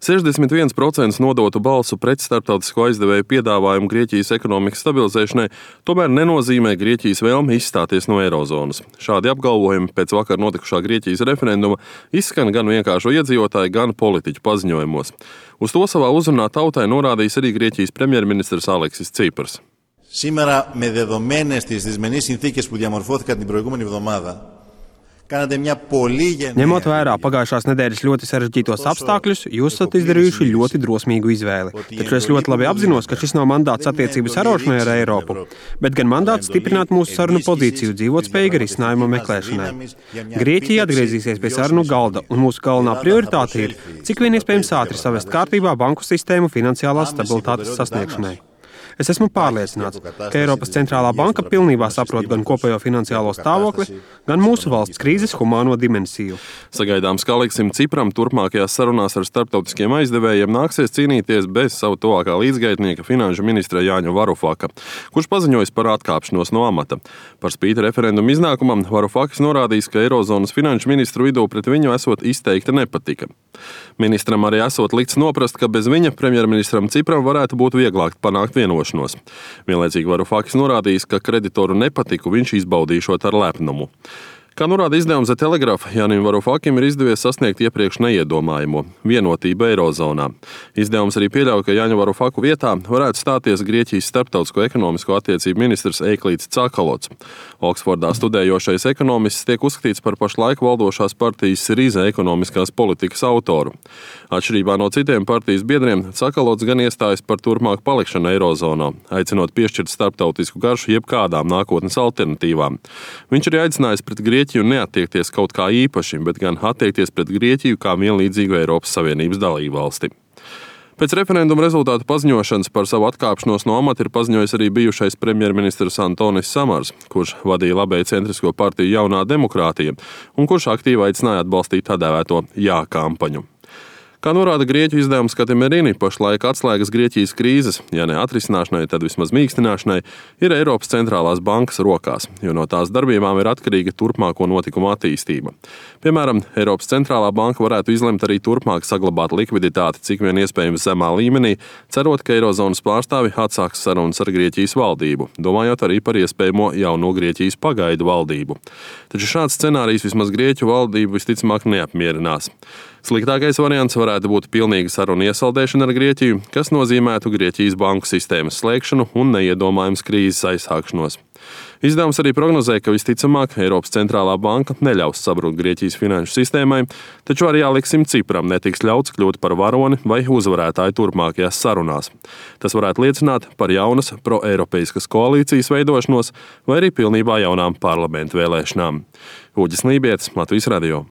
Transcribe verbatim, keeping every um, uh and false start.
sešdesmit viens procents nodotu balsu pret starptautisko aizdevēju piedāvājumu Grieķijas ekonomikas stabilizēšanai tomēr nenozīmē Grieķijas vēlmi izstāties no eirozonas. Šādi apgalvojumi pēc vakar notikušā Grieķijas referenduma izskan gan vienkāršo iedzīvotāju, gan politiķu paziņojumos. Uz to savā uzrunā tautai norādījis arī Grieķijas premjerministrs Aleksis Tsipras. Σήμερα, με δεδομένες τις δυσμενείς συνθήκες που διαμορφώθηκαν την προηγούμενη εβδομάδα, Ņemot vērā pagājušās nedēļas ļoti sarežģītos apstākļus, jūs esat izdarījuši ļoti drosmīgu izvēli. Taču es ļoti labi apzinos, ka šis nav mandāts attiecību sarošanai ar Eiropu, bet gan mandāts stiprināt mūsu sarunu pozīciju dzīvotspējīga risinājuma meklēšanai. Grieķija atgriezīsies pie sarunu galda, un mūsu galvenā prioritāte ir, cik vien iespējams ātri savest kārtībā banku sistēmu finansiālās stabilitātes sasniegšanai. Es esmu pārliecināts, ka Eiropas centrālā banka pilnībā saprot gan kopējo finansiālo stāvokli, gan mūsu valsts krīzes humāno dimensiju. Sagaidāms, ka Aleksim Tsipram turpmākajās sarunās ar starptautiskiem aizdevējiem nāksies cīnīties bez savu tuvākā līdzgaitnieka finanšu ministra Jāņa Varufaka, kurš paziņojis par atkāpšanos no amata. Par spīti referendumu iznākumam Varufakis norādījis, ka Eirozonas finanšu ministru vidū pret viņu esot izteikta nepatika. Ministram arī esot likts noprast, ka bez viņa premjerministram Tsipram varētu būt vieglāk panākt vienošanos. Vienlaicīgi Varufakis norādījis, ka kreditoru nepatiku viņš izbaudīšot ar lepnumu. Kā norāda izdevums The Telegraph, Jānim Varufakim ir izdevies sasniegt iepriekš neiedomājamo – vienotību Eirozonā. Izdevums arī pieļauj, ka Jāņa Varufaku vietā varētu stāties Grieķijas starptautisko ekonomisko attiecību ministrs Eiklīds Tsakalots. Oksfordā studējošais ekonomists tiek uzskatīts par pašlaik valdošās partijas Siriza ekonomiskās politikas autoru. Atšķirībā no citiem partijas biedriem, Tsakalots gan iestājas par turpmāku palikšanu Eirozonā, aicinot piešķirt starptautisku garšu jebkādām nākotnes alternatīvām. Viņš arī aicinājis pret Grieķiju Grieķiju neattiekties kaut kā īpaši, bet gan attiekties pret Grieķiju kā vienlīdzīgu Eiropas Savienības dalībvalsti. Pēc referenduma rezultātu paziņošanas par savu atkāpšanos no amata ir paziņojis arī bijušais premjerministrs Antonis Samars, kurš vadīja labēju centrisko partiju Jaunā demokrātija un kurš aktīvi aicināja atbalstīt tā dēvēto jā kampaņu. Kā norāda Grieķu izdevums Katimerini, pašlaik atslēgas Grieķijas krīzes, ja ne atrisināšanai, tad vismaz mīkstināšanai, ir Eiropas centrālās bankas rokās, jo no tās darbībām ir atkarīga turpmāko notikumu attīstība. Piemēram, Eiropas centrālā banka varētu izlemt arī turpmāk saglabāt likviditāti cik vien iespējams zemā līmenī, cerot, ka Eirozonas pārstāvi atsāks sarunas ar Grieķijas valdību, domājot arī par iespējamo jauno Grieķijas pagaidu valdību. Taču šāds scenārijs vismaz Grieķu valdību visticamāk neapmierinās. Sliktākais variants varētu būt pilnīga saruna iesaldēšana ar Grieķiju, kas nozīmētu Grieķijas banku sistēmas slēgšanu un neiedomājums krīzes aizsākšanos. Izdevums arī prognozē, ka visticamāk Eiropas centrālā banka neļaus sabrukt Grieķijas finanšu sistēmai, taču arī Aleksim Tsipram netiks ļauts kļūt par varoni vai uzvarētāju turpmākajās sarunās. Tas varētu liecināt par jaunas pro-eiropeiskas koalīcijas veidošanos vai arī pilnībā jaunām parlamentu vēlēšanām. Uģis Lībietis, Latvijas radio.